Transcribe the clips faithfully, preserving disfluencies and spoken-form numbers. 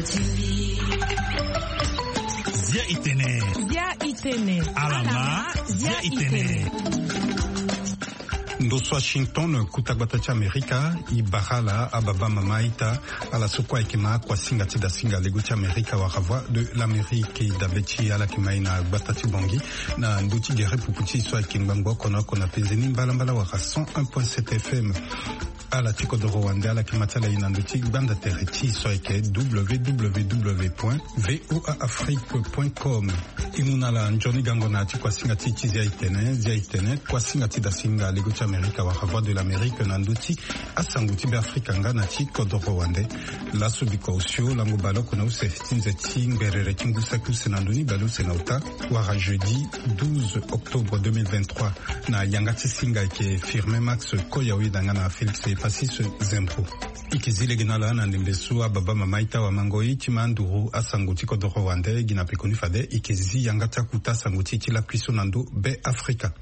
Zia itene. Zia itene. Alama. Zia itene. Ndo so Washington, kuta gbata ti Amerika, i bara ala ababa mama ita, ala so kue ayeke ma akuasinga ti dasinga lego ti Amerika wala Voix de l'Amérique, i dabe ti ala yeke ma i na gbata ti Bangui, na ndö ti gere pupu ti so ayeke ngbangbo oko na oko na penze ni mbalambala wala cent un point sept F M. Ala ti kodoro wande ala yeke ma ti ala i na ndö ti gbanda tere ti so ayeke W W W point V O A Afrique point com. I mu na ala nzoni gango na ya ti kuasinga ti ti Zia itene. Zia itene, kuasinga ti dasinga lego ti Amerika wala Voix de l'Amérique na ndö ti asango ti Beafrika nga na ti kodoro wande. Laso bikua osio lango baleoko na use ti nze ti ngberere ti ngu saki use na ndö ni baleuse na ota, wala jeudi douze octobre deux mille vingt-trois. Na yanga ti singa ayeke Firmin Max Koyaoida nga na Félix Epasis Zembro. I yeke zi lege na ala na ndembe so ababa mama ita wamango i ti ma nduru asango ti kodoro wande gi na pekoni fade i yeke zi yanga ti akuta sango ti e ti lakui so na ndö Beafrika.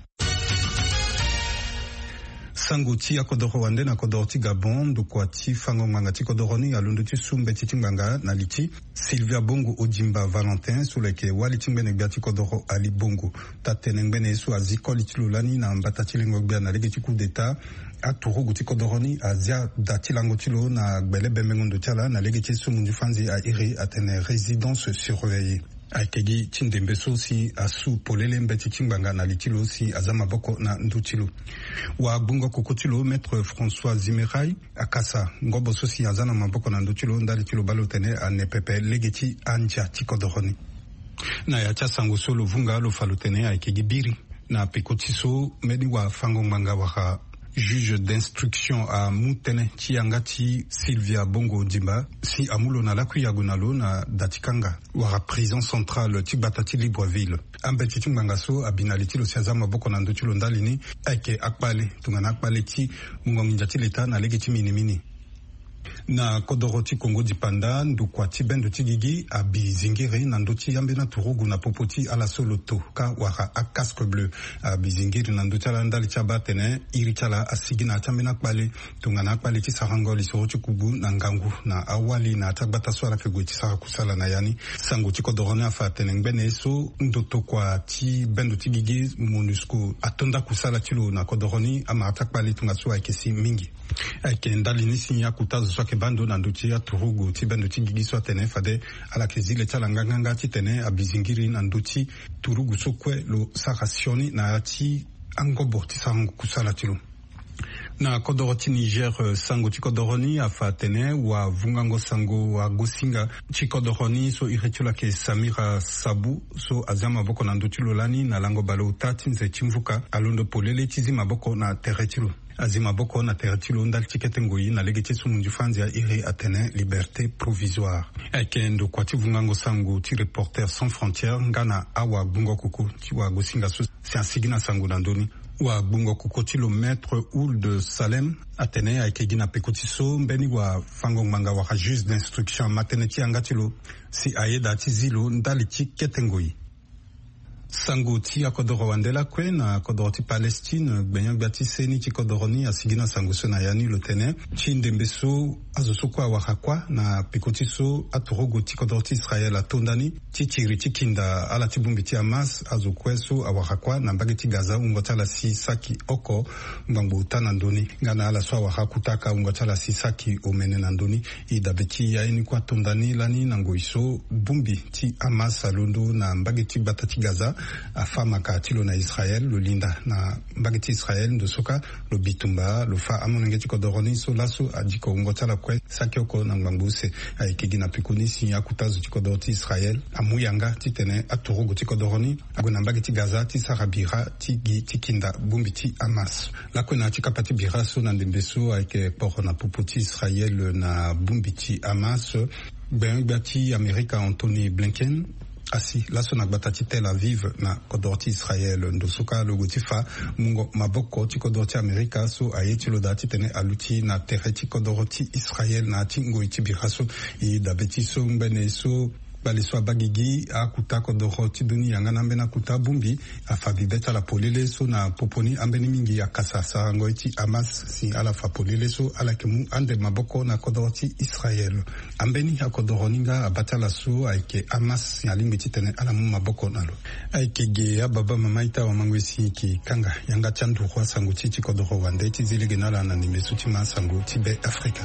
Sango ti akodoro wande na kodoro ti Gabon, ndokua ti fango ngbanga ti kodoro ni alondo ti su mbeti ti ngbanga na li ti Sylvia Bongo Odimba Valentin so lo yeke wali ti ngbene gbia ti kodoro Ali Bongo. Taa-tene ngbene ye so azi koli ti lo lani na mbata ti lengo gbia na lege ti coup d'état, aturugu ti kodoro ni azi ada ti lango ti lo na gbele bembengo ndo ti ala na lege ti so munzu fanzi a iri atene résidence surveillée. Ayeke gi ti ndembe so si asu polele mbeti ti ngbanga na li ti lo si aza maboko na ndö ti lo. Wagbungo koko ti lo, Maître François Zimeray, akasa ngobo so si aza na maboko na ndö ti lo ndali ti lo baa lo tene ane pepe lege ti andia ti kodoro ni. Na ya ti asango so lo vunga lo fa lo tene ayeke gi biri. Na peko ti so mbeni wafango ngbanga wala juge d'instruction amu tënë ti yanga ti Sylvia Bongo Ondimba si amu lo na lakui yago na lo na da ti kanga wala prison centrale ti gbata ti Libreville. Ambeti ti ngbanga so abi na li ti lo si aza maboko na ndö ti lo ndali ni ayeke akpale tongana akpale ti mungo nginza ti leta na lege ti minimini. Na kodoro ti Kongo dipanda, ndokua ti bendo ti gigi abi zingiri na ndö ti ambeni aturugu na popo ti ala so lo to ka wara acasque bleu. Abi zingiri na ndö ti ala ndali ti abaa atene iri ti ala asigi na ya ti ambeni akpale tongana akpale ti sarango lisoro ti kubu na ngangu na awali na ya ti agbata so ala yeke gue ti sara kusala na ya ni. Sango ti kodoro ni afa atene ngbene ye so ndotokua ti bendo ti gigi MONUSCO atonda kusala ti lo na kodoro ni, amara ti akpale tongaso ayeke si mingi. Ayeke ndali ni si akuta zo so ayeke baa ndo na ndö ti aturugu ti bendo ti gigi so atene fade ala yeke zi le ti ala nganganga titene abi zingiri na ndö ti turugu so kue lo sara sioni na ya ti angobo ti sarango kusala ti lo. Na kodoro ti Niger, eh, sango ti kodoro ni afa atene wavungango sango wagosinga ti kodoro ni so iri ti lo ayeke Samira Sabu so azi amaboko na ndö ti lo lani na lango baleota ti nze ti mvuka alondo polele ti zi maboko na tere ti lo. Azi maboko na tere ti lo ndali ti kete ngoi na lege ti so munzu fanzi a iri atene liberté provisoire. Ayeke ndokua ti vungango sango ti Reporters sans frontières nga na awagbungo koko ti wagosinga so si asigi na sango na ndö ni. Wagbungo koko ti lo Maître Ould Salem atene ayeke gi na peko ti so mbeni wafango ngbanga wala juge d'instruction ama tënë ti yanga ti lo si ayeda ti zi lo ndali ti kete ngoi. Sango ti akodoro wande lakue na kodoro ti Palestine, gbenyo-gbia ti seni ti kodoro ni asigi na sango so na ya ni lo tene ti ndembe so azo so kue awara kuâ na peko ti so aturugu ti kodoro ti Israël atonda ni ti tiri ti kinda ala ti bongbi ti Hamas. Azo kue so awara kuâ na mbage ti Gaza wungo ti ala si saki oko ngbangbo ota na ndö ni, nga na ala so awara kutaka wungo ti ala si saki omene na ndö ni. E dabe ti ya ye ni kue atonda ni lani na ngoi so bongbi ti Hamas alondo na mbage ti gbata ti Gaza, afâ maka ti lo na Israël, lo linda na mbage ti Israël ndo so kâ lo bitumba, lo fâ amolenge ti kodoro ni so laso adiko wungo ti ala kue saki oko na ngbangbo use. Ayeke gi na peko ni si akuta zo ti kodoro ti Israël amu yanga titene aturugu ti kodoro ni ague na mbage ti Gaza ti sara bira ti gi ti kinda bongbi ti Hamas. Lakue na ya ti kapa ti bira so na ndembe so ayeke kporo na popo ti Israël na bongbi ti Hamas, gbenyo-gbia ti Amerika Antony Blinken asi laso na gbata ti Tel Aviv na kodoro ti Israël. Ndo so kâ lo gue ti fâ mungo maboko ti kodoro ti Amerika so aye ti lo daa titene aluti na tere ti kodoro ti Israël na ya ti ngoi ti bira so. E dabe ti so ngbene so Baleso abagigi akuta kodoro ti dunia nga na ambeni akuta bongbi afa bibe ti ala polele so na popo ni ambeni mingi akasa sarango ye ti Hamas si ala fa polele so ala yeke mu ande maboko na kodoro ti Israel. Ambeni akodoro ni nga abaa ti ala so ayeke Hamas si alingbi titene ala mu maboko na lo. Ayeke ge ababa mama ita wamango esi yeke kanga yanga ti anduru asango ti ti kodoro wande ti zi lege na ala na ndembe so ti ma asango ti Be Afrika.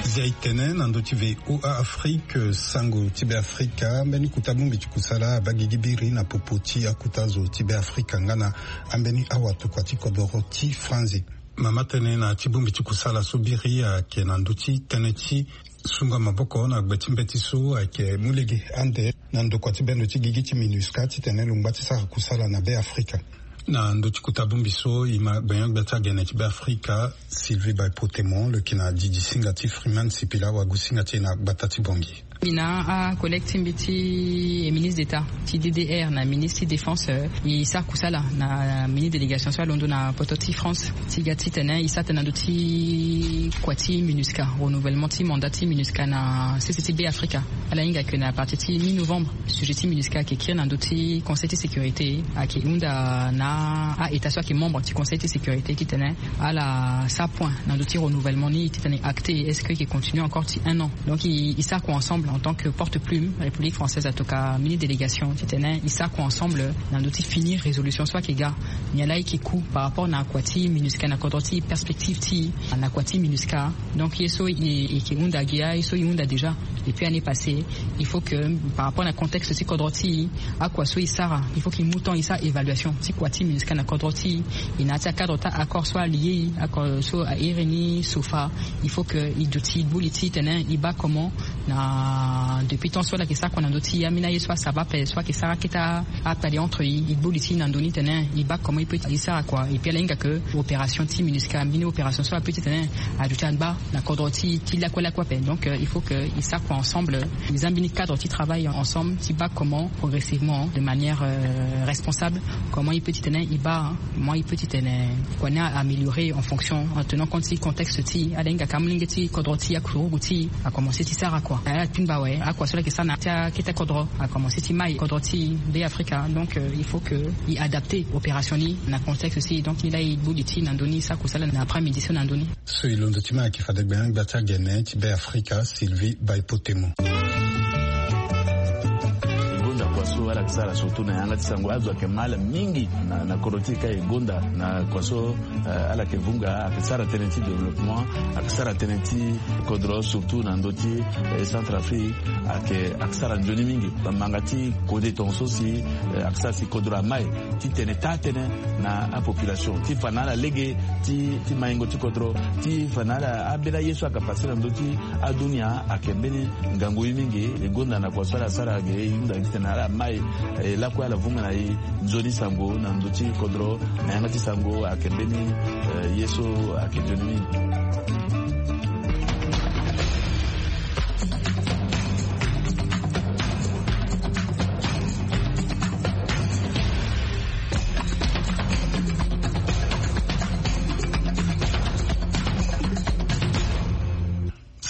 Zia e tene na ndö ti V O A Afrique, sango ti Be Afrika, mbeni kuta bongbi ti kusala abagigi biri na popo ti akuta zo ti Be Afrika nga na ambeni awa tokua ti kodoro ti Franzi. Mama tënë na ti bongbi ti kusala so biri ayeke na ndö ti tënë ti sunga maboko na gbe ti mbeti so ayeke mu lege ande na ndokua ti bendo ti gigi ti MINUSCA titene lo ngba ti sara kusala na Be Afrika. Na ndö ti kota bongbi so e ma gbenyo-gbia ti agene ti Be Afrika, Sylvie Baïpotemo, lo yeke na didi singa ti Freeman Sipila, wagu singa ti e na gbata ti Bangui. Mbi na acollègue ti mbi ti ministre d'État ti D D R na ministre ti défense, e sara kusala na mini délégation so alondo na poto ti France ti ga titene e sara tënë na ndö ti kua ti MINUSCA, renouvellement ti mandat ti MINUSCA na sese ti Be Afrika. Ala hinga ke na partir ti mi-novembre, sujet ti MINUSCA ayeke kiri na ndö ti Conseil ti sécurité, ayeke hunda na a-État so ayeke membre ti Conseil ti sécurité titene ala sara point na ndö ti renouvellement ni titene acté, est-ce que e yeke continuer encore ti un an? Donc e, e sara kua ensemble en tant que porte-plume République française, en tout cas mini délégation titene e sara kua ensemble na ndö ti finir résolution so ayeke ga. Nyen laa e yeke ku par rapport na kua ti MINUSCA na kodro ti e, perspective ti e na kua ti MINUSCA. Donc ye so e, e yeke hunda gi aye so e hunda déjà depuis année passée. Il faut que par rapport na contexte ti kodro ti e, akua so e sara, il faut que e mu temps e sara évaluation ti kua ti MINUSCA na kodro ti e. E na ya ti acadre ti accord so alie e, accord so airi ni SOFA. Il faut que e duti gbu li ti tene e baa comment na depuis temps so ala yeke sara kua na ndö ti ambeni aye so asara ape so ayeke sara akete akpale entre e, e gbu li ti e na ndö ni tene e baa comment e peut e sara kua. Et puis ala hinga ke opération ti MINUSCA, mbeni opération so apeut titene aduti angba na kodro ti e ti lakue lakue ape. Donc euh, il faut que e sara kua ensemble, e za mbeni cadre ti travail ensemble ti baa comment progressivement, de manière euh, responsable, comment e peut titene e baa, hein, comment e peut titene kua ni a améliorer en fonction, en tenant compte ti contexte ti e. Ala hinga ka molenge ti kodro ti e, akurugu ti e akomense ti sara kua. Ala tingba awe akua so ala yeke sara na ya ti akete kodro akomense ti mai kodro ti e, Be Afrika. Donc euh, il faut que e adapter opération ni na contexte ti e. Donc ni laa e gbu li ti e na ndö ni, e sara kusala na après-midi so na ndö ni. So e londo ti ma ayeke fade gbenyo-gbia ti agene ti Be Afrika, Sylvie Baïpotemo. E gonda kua so ala yeke sara surtout na yanga ti sango. Azo ayeke ma ala mingi na, na kodro ti e ka e gonda na kua so, eh, ala yeke vunga, ayeke sara tënë ti développement, ayeke sara tënë ti kodro surtout na ndö ti, eh, Centrafrique, ayeke, ayeke sara nzoni mingi. Bamanga ti kode tongaso si, eh, ayeke sara si kodro amai ti tene taa-tënë na apopulation ti fa na ala lege ti, ti maingo ti kodro, ti fa na ala ambeni aye so ayeke pase na ndö ti adunia ayeke mbeni ngangu ye mingi. E gonda na kua so ala sara ge, e hunda gi titene ala mai, e lakue ala vunga na e nzoni sango na ndö ti kodro, na yanga ti sango ayeke mbeni, eh, ye so ayeke nzoni mingi.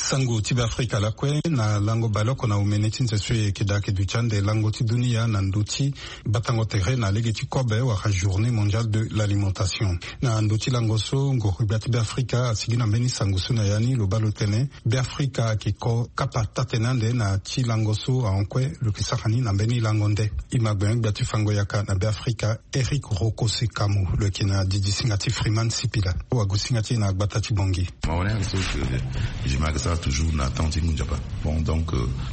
Sango ti Be Afrika lakue na lango baleoko na omene ti nze so e yeke daa ayeke duti ande lango ti dunia na ndö ti batango tere na lege ti kobe wala journée mondiale de l'alimentation. Na ndö ti lango so ngoro-gbia ti Be Afrika asigi na mbeni sango so na ya ni, lo baa lo tene Be Afrika ayeke ko kapa taa-tene ande na ti lango so ahon kue lo yeke sara ni na mbeni lango nde. E ma gbenyo-gbia ti fango yaka na Be Afrika, Eric Rokose Kamo, lo yeke na didi singa ti Freeman Sipila, wagu singa ti e na gbata ti Bangui. Mahonet so, eh, je m'excuse. Toujours na temps ti ngunzapa. Bon, donc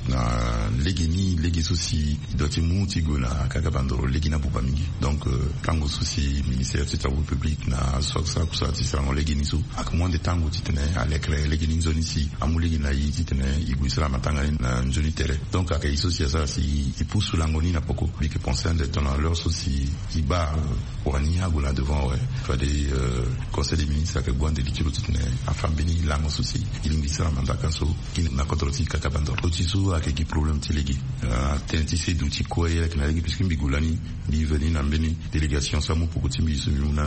na lege ni lege so si e doit ti mu ti gue na kaka bandoro lege ni abuba mingi. Donc tango so si ministère ti travaux publics na aso asara kusala ti sarango lege ni so ake mu ande tango titene alekere lege ni nzoni si amu lege na e titene e gue sara matanga ni na nzoni tere. Donc ake e so si asara si e pusu lango ni na poko mbi yeke pense ande tongana l'heure so si e baa wani ague na devant awe. Fade conseil des ministres ake gue ande li ti lo titene afa mbeni lango so si e lingbi sara mandaka so. Kini na kodro ti kaka bandoro ti so ake gi problème ti lege. Tënë ti sedu ti kue ayeke na lege puisque mbi gue lani mbi veni na mbeni délégation so amu poko ti mbi so mbi mu na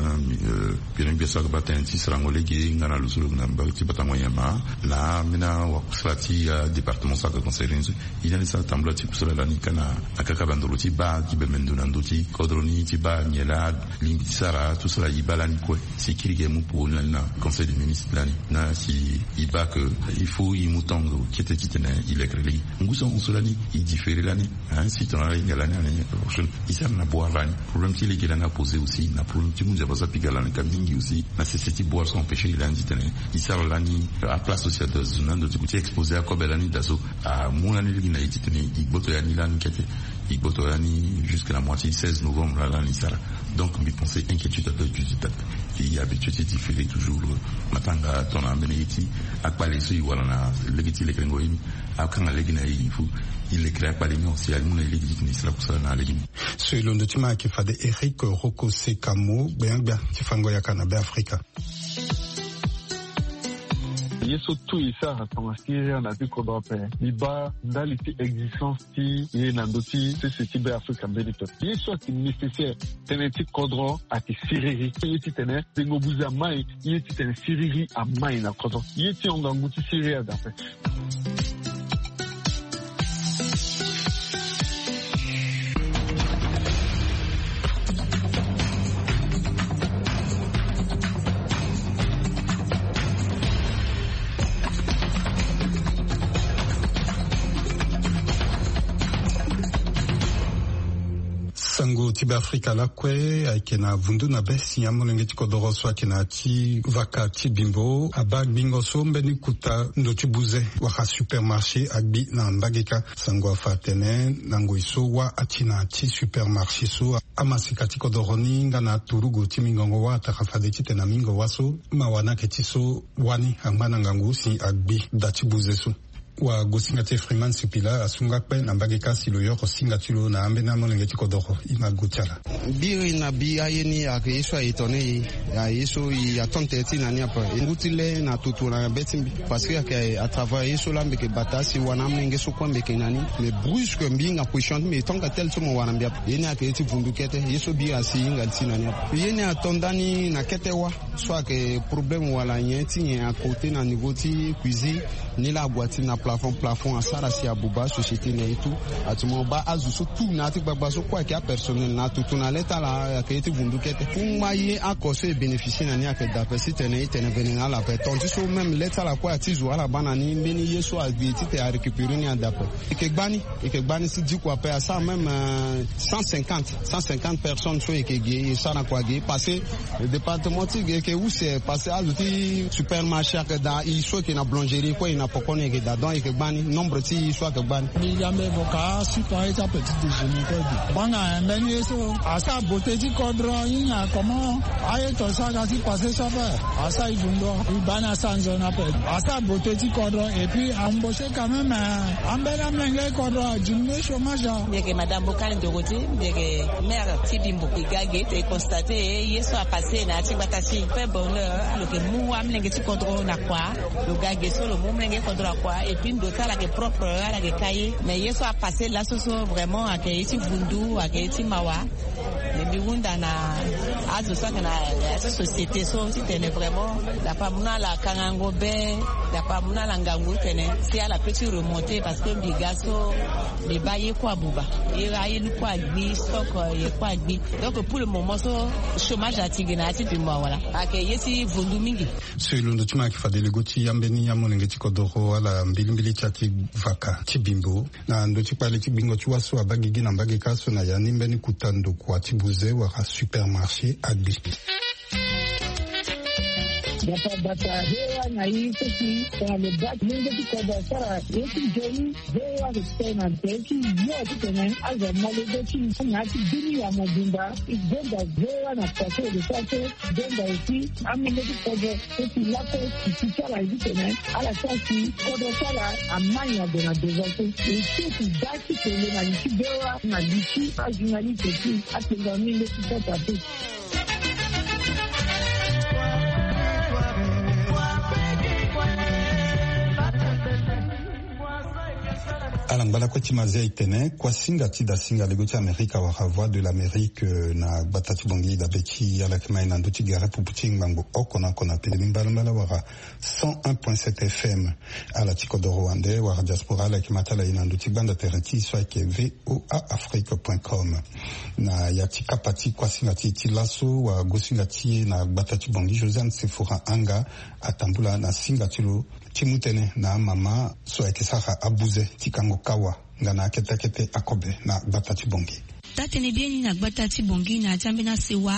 gbene gbia so ake baa tënë ti sarango lege nga na lo so lo yeke na mbage ti batango nyama na ambeni awakusala ti adépartement so ake concerne ni so. E na ni sara tambula ti kusala lani ka na akaka bandoro ti baa gi bembe ndo na ndö ti kodro ni ti baa nyen laa lingbi ti sara tout sara e baa lani kue. Si kiri ge mu poko ni lani na conseil des ministres lani na si e baa ke il faut e mu tongo kete titene e lekere lege ngu so ngu so lani e différer lani. Si tongana e hinga lani ane prochaine e sara na boire lani. Problème ti lege lani apose aussi na problème ti mu nzapa so apika lani ka mingi aussi na sese ti boire so empêcher e lani titene e sara lani aplace aussi ado azo na ndo ti exposer akobe lani daa so. Amu lani lege na e titene e gboto ya ni lani kete. E gboto ya ni jusque na mois ti seize novembre laa lani e sara. Donc mbi pense inquiétude ado aduti daa. E habitué ti différer toujours matanga tongana ambeni ye ti akpale so e wara na lege ti lekerengo ye ni. Akanga lege na e il faut e lekere akpale ni si amu na e lege titene e sara kusala na lege ni. So e londo ti ma ayeke fade Eric Roko Sekamo gbengba ti fango yaka na Beafrika. Ye so tout e sara tongana siriri na ti kodro ape. Mbi baa ndali ti existence ti e na ndö ti sese ti Beafrika mbeni pepe ye so ayeke nécessaire. Tënë ti kodro ayeke siriri ye titene tengo buze amai ye titene siriri amai na kodro ye ti hon ngangu ti siriri adape. Sango ti Beafrika lakue ayeke na vundu na be si amolenge ti kodoro so ayeke na ya ti vaka ti Bimbo abaa gbingo so mbeni kuta ndo ti buze wala supermarché agbi na mbage kâ. Sango afa atene na ngoi so wâ ati na ya ti supermarché so amasika ti kodoro ni nga na aturugu ti mingongo wâ atara fade titene na mingo wâ so mawa ni ayeke ti so wâ ni angba na ngangu si agbi da ti buze so. Wagosinga ti Freeman Sipila asu nga kpe na mbage kâ si lo yoro singa ti lo na ambeni amolenge ti kodoro. Ima gu ti ala. Biri na bi aye ni ayeke ye so a étonné e. Aye so e attend tere ti na ni ape. E ngu ti le na toto na be ti mbi parce que ayeke à travers ye so laa mbi yeke bata si wara na amolenge so kue mbi yeke na ni. Mais brusque mbi hinga position ti mbi e tonga tel so mo wara mbi ape. Ye ni ayeke ye ti vundu kete ye so biri asi e hinga li ti na ni ape. Ye ni ato ndani na kete wâ. So ayeke problème wala nyen ti nyen akote na niveau ti cuisine. Ni laa ague ati na plafond plafond asara si abuba société na e tout. Ati mo baa azo so tout na ya ti gbagba so kue ayeke apersonnel na atutu na le ti ala ayeke ye ti vundu kete. Kungba ye oko so e bénéficier na ni ayeke daa ape si tene e tene vene na ala ape ton ti so même le ti ala kue ati zo ala baa na ni mbeni ye so agbi titene arécupérer ni adaa ape. E yeke gbani. E yeke gbani si diko ape asara même cent cinquante cent cinquante personnes so e yeke ge e sara na kua ge e passé. Département ti ge e yeke use passé azo ti supermarché ayeke daa e so e yeke na boulangerie kue e na poko ni e yeke daa donc e yeke gbani nombre ti e so ayeke gbani. Mbi yambe vo ka supa ye ti apeti déjeuner kue gi. Banga mbeni ye so asara beauté ti kodro hinga comment aye to sara ga ti passé so ape. Asara e vundo e baa ni asara nzoni ape. Asara beauté ti kodro et puis embaucher quand même. Ambeni amolenge kodro adiminuer chômage. Mbi yeke madame Bokani Dorothée, mbi yeke maire ti Bimbo. E ga ge e constate ye so apassé na ya ti gbata ti e. Pe bonheur lo yeke mu amolenge ti kodro na kua. Lo ga ge so lo mu amolenge kodro na kua et puis ndo ti ala yeke propre ala yeke ka ye. Mais ye so apassé laso so vraiment ayeke ye ti vundu ayeke ye ti mawa. Mais mbi hunda na azo so ayeke na ya ti société so titene vraiment dapa amu na ala kangango be. Dapa amu na ala ngangu titene si ala peut ti remonter parce que mbi ga so mbi baa ye kue abuba. Ye aye ni kue agbi stock ye kue agbi. Donc pour le moment so chômage ati ge na ya ti Bimbo awala. Ayeke ye ti vundu mingi. So e londo ti ma ayeke fade lego ti ambeni amolenge ti kodoro ala mbilimbili ti ya ti vaka ti Bimbo. Na ndö ti kpale ti gbingo ti wâ so abaa gigi na mbage kâ so na ya ni mbeni kuta ndokua ti buze wala supermarché agbi. Bata bata, ve wa na i soki tongana lo bati lenge ti kodro asara ye ti nzoni. Ve wa respect na nte ti yo titene azo molege ti na ti bini ya mobimba. I gonda ve wa na pase de sa so. Gonda aussi amenge ti kodro so si lako si ti ti ala ye titene ala sara si kodro ti ala amai na gue na devant so. E so si da ti tele na li ti ve wa na li ti ajournaliste ti atenga mingi ti sota te. Ala ngba lakue ti mazia e tene kuasinga ti dasinga lego ti Amerika wala Voix de l'Amérique, euh, na gbata ti Bangui dabe ti ala yeke ma e na ndö ti gere pupu ti ngbangbo oko na oko na pele ni mbalambala wala cent un point sept F M. Ala ti kodoro wande wala diaspora ala yeke ma ti ala e na ndö ti gbanda tere ti e so ayeke V O A Afrique point com. Na ya ti kapa ti kuasinga ti e ti laso wala gosinga ti e na gbata ti Bangui, Josiane Sephora Anga atambula na singa ti lo ti mu tënë na amama so ayeke sara abuze ti kango kawa nga na akete akete akobe na gbata ti Bangui. Taa-tënë biani na gbata ti Bangui na ya ti ambeni asewa,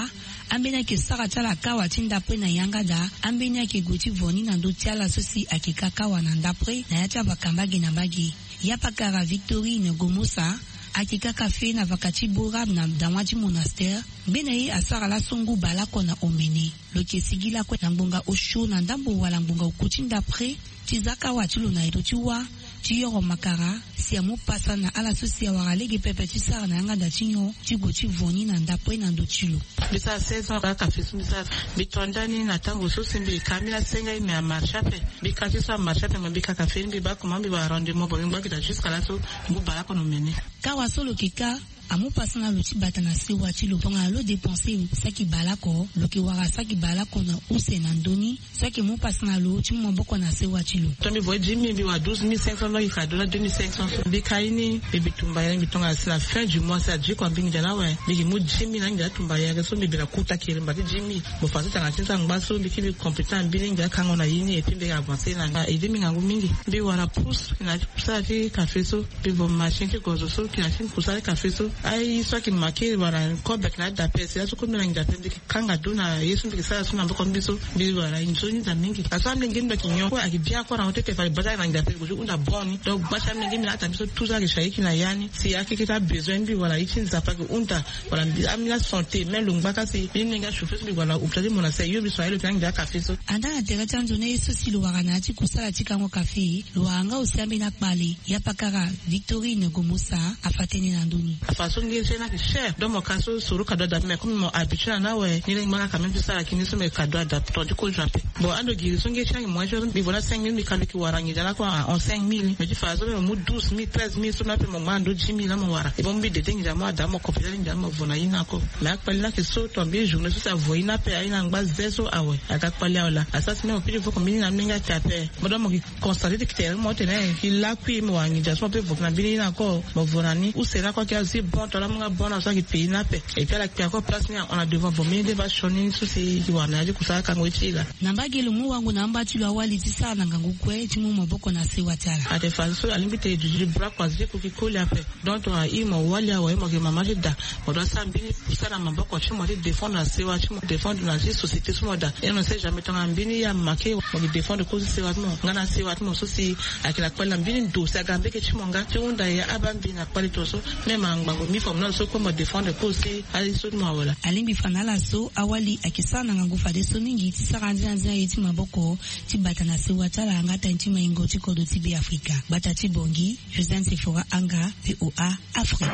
ambeni ayeke sara ti ala kawa ti ndapre na yanga daa, ambeni ayeke gue ti vo ni na ndö ti ala so si ayeke ka kawa na ndapre na ya ti avaka mbage na mbage. Yapakara Victorine Gomosa ayeke ka kafe na vaka ti Borab na dawa ti monastère. Ngbene ye asara laso ngu baleoko na omene. Lo yeke sigi lakue na ngbonga osio na ndambo wala ngbonga oku ti ndapre ti za kawa ti lo na eto ti wâ ti yoro makara si amu pasa na ala so si awara lege pepe ti sara na yanga da ti nyon ti gue ti vo ni na ndapre na ndö ti lo. Mbi sara seize ans kaka kafe so mbi sara. Mbi to nda ni na tango so si mbi ka mbi la senga ye me amarche ape. Mbi ka ti so amarche ape me mbi ka kafe ni mbi baa comment mbi wara rendement bon mbi ngba gi daa jusqu'à laso ngu baleoko na omene. Kawa so lo yeke ka amu pasa na lo ti bata na sewa ti lo. Tongana lo dépenser saki baleoko, lo yeke wara saki baleoko na use na ndö ni so ayeke mu pasa na lo ti mu maboko na sewa ti lo. Tongana mbi voye dix mille mbi wara douze mille cinq cents, donc e ka dona deux mille cinq cents so. Mbi ka ye ni mbi, mbi tumba ye ni mbi tongana si na fin du mois si adiko mbi nginza ni awe mbi yeke mu dix mille na nginza atumba ye ayeke so mbi bira kuta kiri mba ti dix mille. Mo fa so tanga ti nza ngba so mbi kiri mbi compléter na mbeni nginza akango na ye ni et puis mbi yeke avancer na aide mbi ngangu mingi. Mbi wara pousse na kusala ti kafe so. Mbi vo machine ti gozo so kina ti kusala ti kafe so. Aye so ayeke manke wala kobe ayeke na adape si laso kobe na nginza ape mbi yeke kanga do na ye so mbi yeke sara so na maboko mbi so. Mbi wara nzoni daa mingi. Parce que amolenge mbi ayeke nyon kue ayeke bien kue na hon ti ete fade bata ayeke na nginza ape gue ti hunda bon ni. Donc gba ti amolenge mbi na ata mbi so toujours ayeke si aye kina ya ni si akeke ti abesoin mbi wala ye ti Nzapa ayeke hunda. Wala mbi ambi na santé même lo ngba ka si mbi mbi nga chauffer so mbi wala hôpital ti mo na se yo mbi so aye lo yeke na nginza akafe so. Andaa na tere ti anzoni aye so si lo wara na ya ti kusala ti kango kafe. Lo wara nga aussi ambeni akpale. Yapakara Victorine Gomosa afa tënë na ndö ni. Afa so ngeri ti ye ni ayeke cher donc mo ka so soro kado adape mais comme mo habitué na ni awe ni lenge mo nga quand même ti sara kini so me kado adape tonga ti kozo ape. Bon ando giri so ngeri ti ye ni ayeke moyen ti so mbi vo na cinq mille mbi ka mbi yeke wara nginza ni ako en cinq mille mais ti fa so me mo mu douze mille treize mille so na ape mo ngba na ndö dix mille na mo wara. E bon mbi dede nginza mo ada mo compléter nginza mo vo na ye ni ako. Mais akpale ni ayeke so tonga mbi journée so si avo ye ni ape aye ni angba ze so awe. Aga kpale awe laa asara si me mo piri vo ko mbi ni na mbi nga te ape. Mo da mo yeke constate ti tere mo tene yeke lakui mo wara nginza so mo pe vo na mbeni ye ni ako mo vo na ni use ni ako ayeke azi bon to ala mu nga bon na so ayeke pays ni ape. Et puis ala kpe ako place ni ahon na devant vo mbeni de va sioni so si yeke wara na ya ti kusala akango ye ti e laa. Na mbage lo mu wango na amba ti lo awali ti sara na ngangu kue ti mu maboko na sewa ti ala. Ate fa so alingbi tene duti ti bra kua zi kuki koli ape. Donc tongana i mo wali awe mo yeke mama ti da. Mo doit sara mbeni kusala na maboko ti mo ti défendre na sewa ti mo défendre na ti société so mo da. Et on ne sait jamais tongana mbeni ya make mo yeke défendre kozo ti sewa ti mo nga na sewa ti mo so si ayeke na kpali na mbeni ndo si aga mbege ti mo nga ti hunda ye aba mbi na kpali tongaso. Même angbango mi fa mo na lo so kue mo défendre kozo ti aye so ti mo awe laa. Alingbi fa na ala so awali ayeke sara na ngangu fadeso mingi ti sara anzia anzia ye ti maboko ti bata na sewa ti ala nga tani ti maingo ti kodro ti Beafrika. Gbata ti Bangui, Josiane Sephora Anga, V O A Afrique.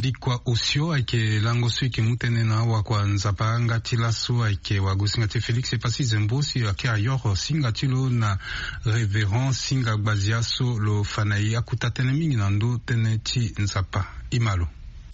Dikua osio ayeke lango so e yeke mu tënë na awakua Nzapa nga ti laso ayeke wagosinga ti Félix Epassi Zembo si ayeke ayoro singa ti lo na Révérend Singa Gbazia so lo fa na e akuta tënë mingi na ndö tënë ti Nzapa. E ma lo.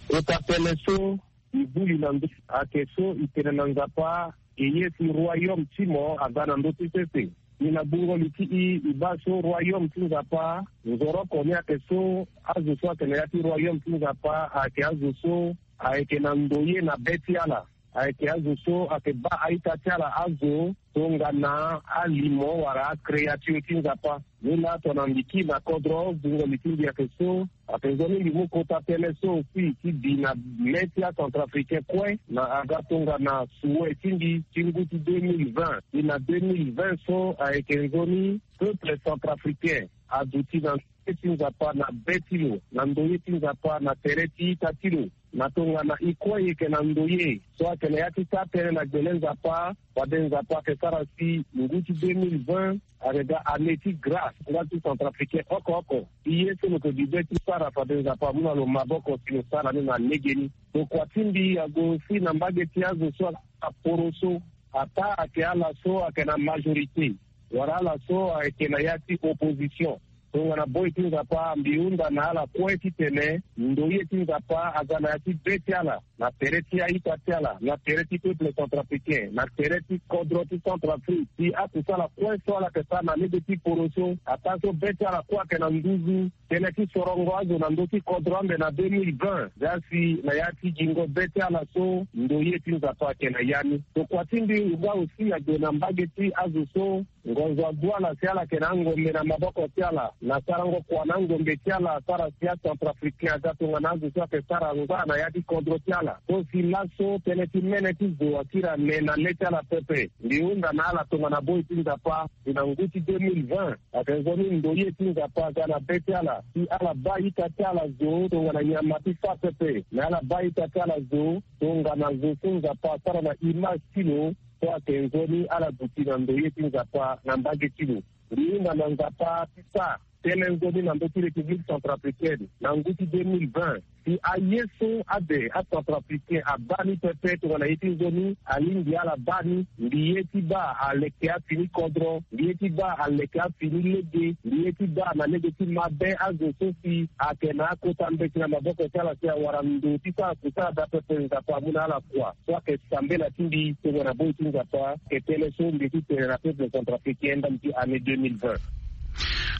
Kota tënë so e buli na ndö ayeke so e tene na Nzapa, e ye si royaume ti mo aga na ndö ti sese. Ni na gbungo li ti i, i baa so royaume ti Nzapa, nzoroko ni ayeke so azo so ayeke na ya ti royaume ti Nzapa ayeke azo so ayeke na ndo ye na be ti ala. ayeke azo so ayeke baa a-ita ti ala azo tongana alimo wala akreature ti Nzapa. Ni laa tongana mbi kiri na kodro, zingo li ti mbi ayeke so, ayeke nzoni mbi mu kota tënë so aussi ti bi na le ti acentrafricain kue na aga tongana souhait ti mbi ti ngu ti deux mille vingt. Ti na deux mille vingt so ayeke nzoni peuple centrafricain aduti na ndoye ti Nzapa na be ti lo, na ndoye ti Nzapa na tere ti ita ti lo. Na tongana e kue e yeke na ndoye so ayeke na ya ti sara tënë na gbele Nzapa, fade Nzapa ayeke sara si ngu ti deux mille vingt ayeke ga année ti grâce nga ti centrafricain oko oko. Ti ye so lo yeke duti ti sara, fade Nzapa amu na lo maboko si lo sara ni na legeni. Tokua ti mbi ague aussi na mbage ti azo so ayeke na poroso, ataa ayeke ala so ayeke na majorité wala ala so ayeke na ya ti opposition. Tongana boi ti Nzapa, mbi hunda na ala kue titene ndoye ti Nzapa aga na ya ti be ti ala, na tere ti a-ita ti ala, na tere ti peuple centrafricain, na tere ti kodro ti Centrafrique, si akusala kue so ala yeke sara na lege ti poroso, ataa so be ti ala kue ayeke na nduzu, tënë ti sorongo azo na ndö ti kodro ande na deux mille vingt, za si na ya ti gingo be ti ala so ndoye ti Nzapa ayeke na ya ni. Tokua ti mbi nga aussi ague na mbage ti azo so ngonzo ague ala si ala yeke na angombe na maboko ti ala, na sarango kua na angombe ti ala, asara si acentrafricain aga tongana azo so ayeke sara ngbâ na ya ti kodro ti ala. So si laso tënë ti mene ti zo akiri ane na le ti ala pepe. Mbi hunda na ala tongana boi ti Nzapa, si na ngu ti deux mille vingt, ayeke nzoni ndoye ti Nzapa aga na be ti ala, si ala baa ita ti ala zo tongana nyama ti fâ pepe, me ala baa ita ti ala zo tongana zo so Nzapa asara na image ti lo, so ayeke nzoni ala duti na ndoye ti Nzapa na mbage ti lo. Mbi hunda na Nzapa ti sara tënë nzoni na ndö ti République centrafricaine na ngu ti deux mille vingt. Si aye so ade acentrafricain abaa ni pepe tongana ye ti nzoni alingbi ala baa ni, mbi ye ti baa aleke afini kodro, mbi ye ti baa aleke afini lege, mbi ye ti baa na lege ti mabe azo so si ayeke na akota mbeti na maboko ti ala si awara ndo ti sara kusala daa pepe. Nzapa amu na ala kua so ayeke sambela ti mbi tongana boi ti Nzapa. Ayeke tënë so mbi ye ti tene na peuple centrafricain ndambe ti année deux mille vingt.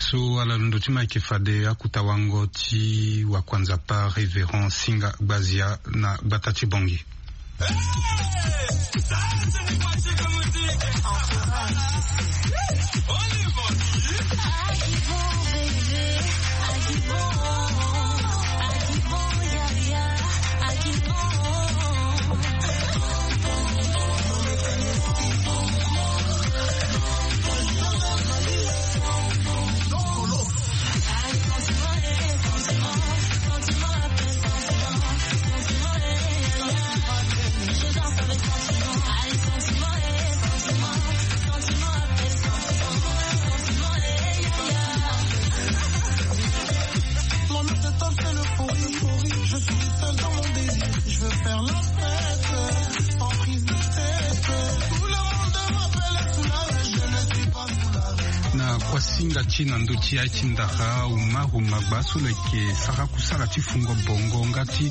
So ala londo ti ma ayeke fade akuta wango ti wakua Nzapa Révérend Singa Gbazia na gbata ti Bangui. Na kuasinga ti na ndö ti aye ti ndara Umaru Magba so lo yeke sara kusala ti fungo bongo nga ti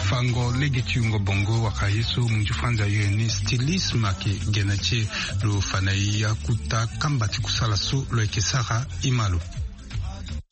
fango lege ti yungo bongo wala ye so munzu franza ayeke stylisme ayeke gene ti e. Lo fa na e akuta kamba ti kusala so lo yeke sara. E ma lo.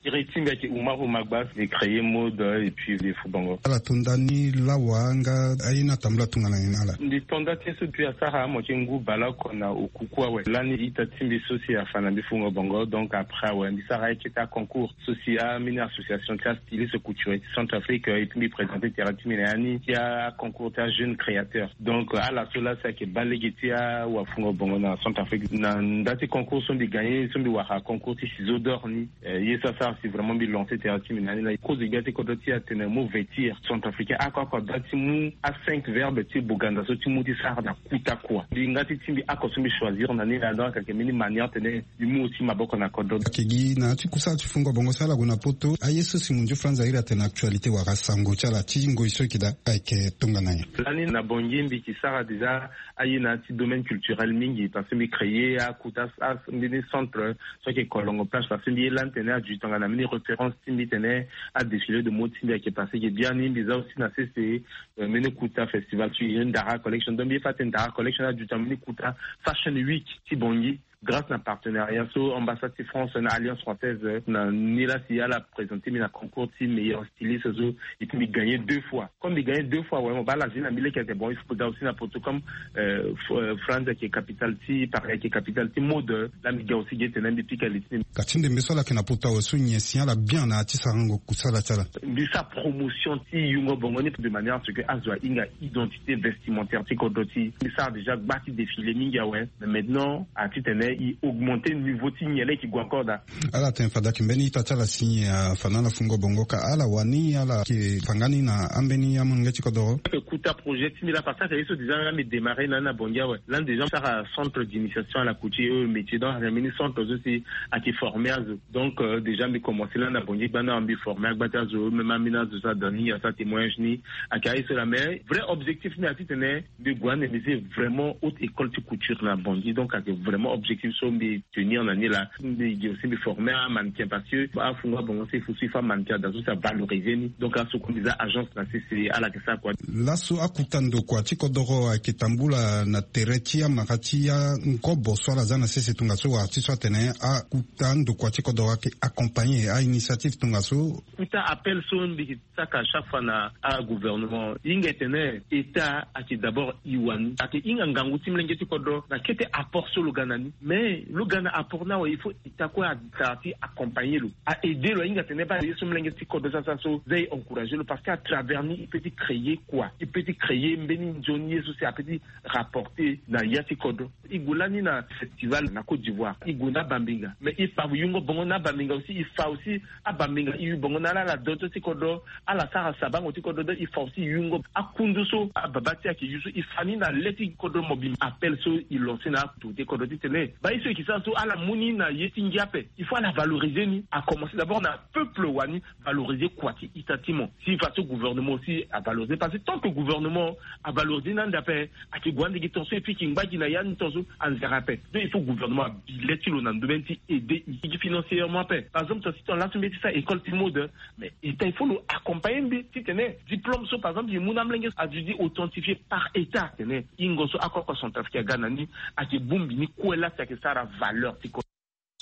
Iri ti mbi ayeke Umaru Magba, mbi créé mode et puis mbi fu bongo. Ala to nda ni lawa nga aye ni atambula tongana nyen na ala? Mbi to nda ti ye so depuis asara amo ti ngu baleoko na okuku awe. Lani ita ti mbi so si afa na mbi fu bongo, donc après awe mbi sara aye ti aconcours so si ambeni association ti astyliste couturier ti Centrafrique, et puis mbi présenter tere ti mbi na ya ni ti aconcours ti ajeune créateur. Donc ala so laa si ayeke baa lege ti awafungo bongo na Centrafrique na nda ti concours so mbi gagné, so mbi wara concours ti ciseau d'or ni. Eh, ye so asara si vraiment mbi lancer tere ti mbi na ni laa. Kozo gbia ti kodro ti e atene mo vêtir centrafricain oko oko adoit ti mu a cinq verbe ti boganda so ti mu ti sara na kuta kua. Mbi nga ti ti mbi oko so mbi choisir na ni laa, donc ayeke mbeni manière tene mbi mu aussi maboko na kodro. Ayeke gi na ya ti kusala ti fungo bongo so ala gue na poto, aye so si munzu franza iri atene actualité wala sango ti ala ti ngoi so e yeke daa ayeke tongana nyen? Lani na Bangui mbi yeke sara déjà aye na ya ti domaine culturel mingi parce que mbi créé akuta a mbeni centre so ayeke Kolongo Plage parce que mbi ye lani tene aduit tongana mbeni référence ti mbi tene adéfilé de mode ti mbi ayeke passé ge biani. Mbi za aussi na sese, euh, mbeni kuta festival ti Ndara Collection. Donc mbi ye fa tene Ndara Collection aduit tongana mbeni kuta Fashion Week ti Bangui. Grâce na partenariat so ambassade ti France na Alliance française, euh, na ni la si ala présenter mbi na concours ti meilleur styliste so, et puis mbi gagner deux fois. Comme mbi gagner deux fois, ouais, mo bala zina mbi leke ete bon, il faut ga aussi na poto comme, euh, F-, euh, France ayeke capitale ti, Paris ayeke capitale ti mode, euh, la mbi ga aussi ge tene mbi pika li ti. Ka ti ndembe so ala yeke na poto awe so nyen si ala bien na ya ti sarango kusala ti ala. Mbi sara promotion ti yungo bongo ni de manière à ce que azo ahinga identité vestimentaire ti kodro ti. Mbi sara déjà gba ti défilé mingi awe. Mais maintenant, a ti tene i augmenter niveau ti nyen la i ke gue encore daa. Ala tene fade ayeke mbeni ita ti ala si nyen afa na ala fungo bongo ka ala wani ala yeke fa nga ni na ambeni amolenge ti kodoro. Ayeke kuta projet ti mbi la parce que ayeke ye so déjà la mbi démarrer na ni na Bangui awe. La déjà mbi sara centre d'initiation à la couture et aux métiers, donc ayeke mbeni centre so si ayeke former azo. Donc, euh, déjà mbi commencer la na Bangui gbanda mbi former agba ti azo, même ambeni azo so ada ni asara témoignage ni. Ayeke aye so la, mais vrai objectif ni a ti tene mbi gue ande mbi zi vraiment haute école ti couture na Bangui. Donc ayeke vraiment objectif so mbi tenir na ni la. Mbi gi aussi mbi former amannequin parce que afungo abongo so il faut so il faut amannequin ada so si avaloriser ni. Donc aso kue mbi za agence na sese ala yeke sara kua. Laso akuta ndokua ti kodoro ayeke tambula na tere ti amara ti angobo so ala za na sese tongaso wala ti so atene akuta ndokua ti kodoro ayeke accompagner a-initiative tongaso. Kuta appel so mbi saka chaque fois na agouvernement, hinga e tene État ayeke d'abord i wani, ayeke hinga ngangu ti molenge ti kodro na kete apport so lo ga na ni. Mais lo ga na apport ni awe, il faut État kue asara ti accompagner lo, a aider lo, ahinga tene baa ye so molenge ti kodro so asara so za e encourager lo parce que à travers ni i peut ti créer quoi, i peut ti créer mbeni nzoni ye so si a peut ti rapporter na ya ti kodro. I gue lani na festival na Côte d'Ivoire, i gue na abambinga, mais i fa yungo bongo na abambinga aussi, i fa aussi abambinga i yu bongo na ala, ala doto ti kodro, ala sara sabango ti kodro, donc i fa aussi yungo akundu so ababa ti ayeke yu so i fa ni na le ti kodro mobimba. Appel so i lancer na akundu ti kodro ti tene baa ye so i yeke sara so ala mu ni na ye ti ngia ape, il faut ala valoriser ni. A commencer d'abord na peuple wani, valoriser kua ti ita ti mo. Si façon gouvernement aussi avaloriser, parce que tant que gouvernement avaloriser ni ande ape, ayeke gue ande gi tongaso et puis ki ngba gi na ya ni tongaso anzere ape. Donc il faut gouvernement abi le ti lo na ndomene ti aider i gi financièrement ape. Par exemple tongaso ti tongana laso mbi ye ti sara école ti mode, mais État il faut lo accompagner mbi ti tene diplôme so par exemple i mu na amolenge aduti authentifié par État tene hingo so akoko Centrafrique aga na ni ayeke bongbi ni kue la si ayeke sara valeur ti kodro.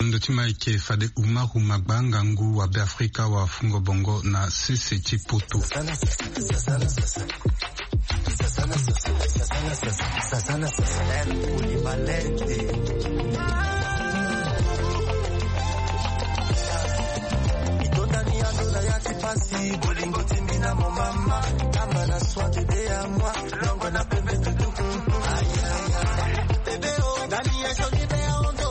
Ndo ti ma eke fade Umaru Magba, ngangu wa Beafrika wa fungo bongo na sese ti poto. Itondani ya ndola ya ti pasi, bolingo ti mbi na mo mama, kamba na soin de de ya moi, longo na pembe tutu. Aïe, aïe, aïe. Bébé, oh, dani ya joli be ya ondo.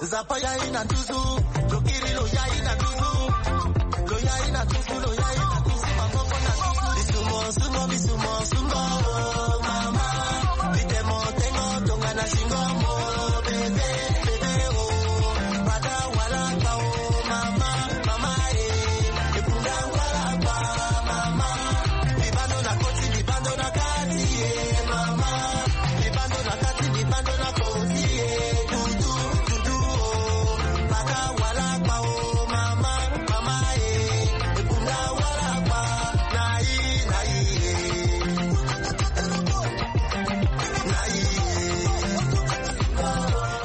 Zapa ya ina tuzu, lokiri lo ya ina tuzu, lo ya ina tuzu, lo ya ina tuzu, maboko na tuzu. Bisumo, sumo, bisumo, sumo, oh, mama. Bitemo, tengo, tonga na singo, mo, bebe, bebe, oh. Bada, wala, pa, oh, mama. Mama, eh, e kunda ngwala kwa mama. Libando na koti, libando na kati, eh, mama. Libando na kati, libando na koti, eh, dudu, dudu, oh. Baka wala kwa, oh, mama, mama, eh, e kunda ngwala kwa, nai, nai, eh. Nai, eh.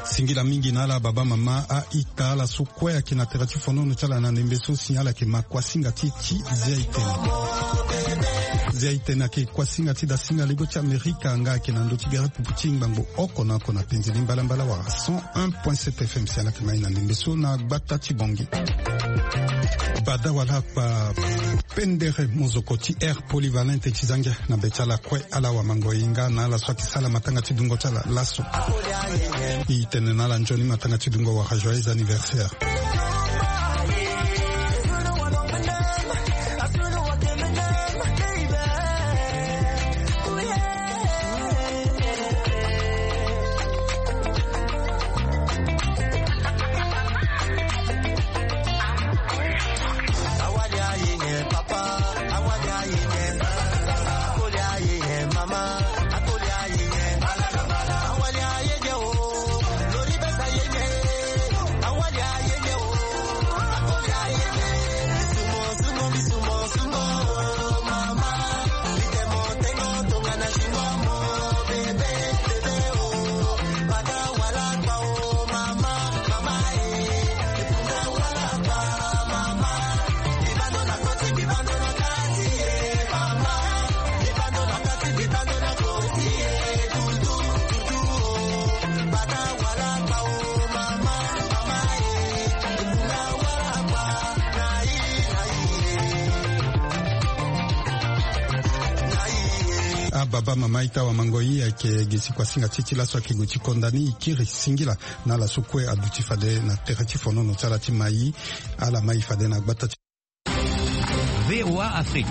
Singila mingi na ala baba mama, a-ita, ala so kue ayeke na tere ti fonono ti ala na ndembe so si ala yeke ma kuasinga ti ti zia itene. Zia itene ayeke kuasinga ti dasinga lego ti Amerika nga ayeke na ndö ti gere pupu ti ngbangbo oko na oko na penze ni mbalambala wala cent un point sept F M si ala yeke ma e na ndembe so na gbata ti Bangui. Bada wala kpa pendere mozoko ti air polyvalente ti zangia na be ti ala kue. Ala wamango e nga na ala so ayeke sala matanga ti dungo ti ala laso. E tene na ala nzoni matanga ti dungo wala joyeux anniversaire. Ababa mama ita wa mango i ayeke gi si kuasinga ti e ti laso ayeke gue ti konda ni i kiri singila. Na ala so kue aduti fade na tere ti fonono ti ala ti mai. Ala mai fade na gbata ti V O A Afrique.